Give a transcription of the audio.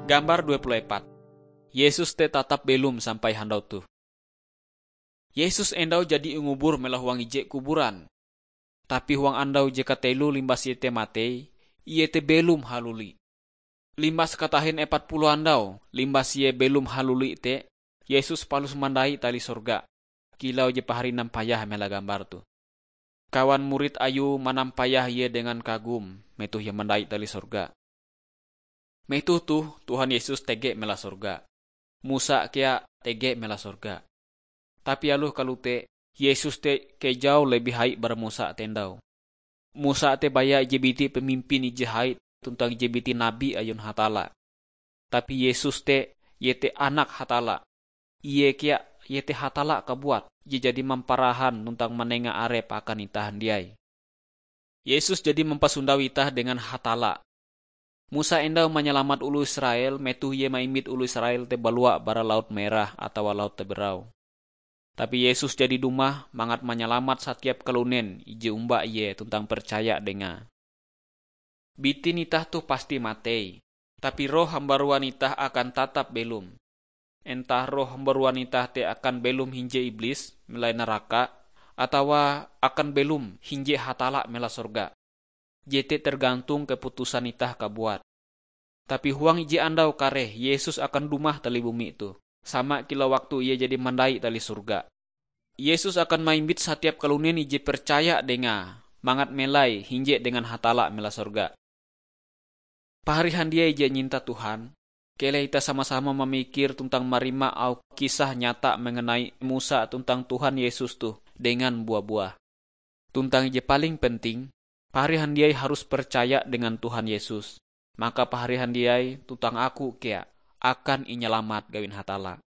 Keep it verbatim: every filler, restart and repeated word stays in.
Gambar dua puluh empat. Yesus te tatap belom sampai handau toh. Yesus endau jadi ingubur mela huang ije kuburan. Tapi huang andau je kateloe limbas ie te matei, ie te belom haluli. Limbas katahin epat puluh andau limbas ie belom haluli te, Yesus palus mandai tali sorga, kilau je pahari nampayah mela gambar toh. Kawan murid Ayue manampayah ie dengan kagum metoh ie mandai tali sorga. Metoh toh Tuhan Yesus tege mela sorga. Musa kea tege mela sorga. Tapi aloh kalote, Yesus te kejau lebih hai bara Musa te endau. Musa te baya ije biti pemimpin ije hai tuntang ije biti nabi ayon Hatalla. Tapi Yesus te, ie te Anak Hatalla. Ie kea, ie te Hatalla kabuat je jadi mamparahan tuntang manenga arepe akan itah handiai. Yesus jadi mampasondau itah dengan Hatalla. Musa endau manyalamat oloh Israel metoh ie maimbit oloh Israel te balua bara Laut Merah atawa Laut Taberau. Tapi Yesus jadi dumah mangat manyalamat satiap kalunen ije omba ie tuntang percaya dengae. Bitin itah toh pasti matei, tapi roh hambaruan itah akan tatap belom. Entah roh hambaruan itah te akan belom hinje iblis melai naraka, atawa akan belom hinje Hatalla mela sorga. Jete tergantung keputusan itah kabuat. Tapi huang ije andau kareh Yesus akan dumah tali bumi toh, sama kilau waktu ie jadi mandai tali sorga. Yesus akan maimbit satiap kalunen ije percaya dengae mangat melai hinje dengan Hatalla mela sorga. Pahari handiai je inyinta Tuhan, keleh itah sama-sama mamikir tuntang marima auh kisah nyata mengenai Musa tuntang Tuhan Yesus toh dengan bua-buah. Tuntang je paling penting, pahari handiai harus percaya dengan Tuhan Yesus. Maka pahari handiai tuntang aku kea akan inyalamat gawin Hatalla.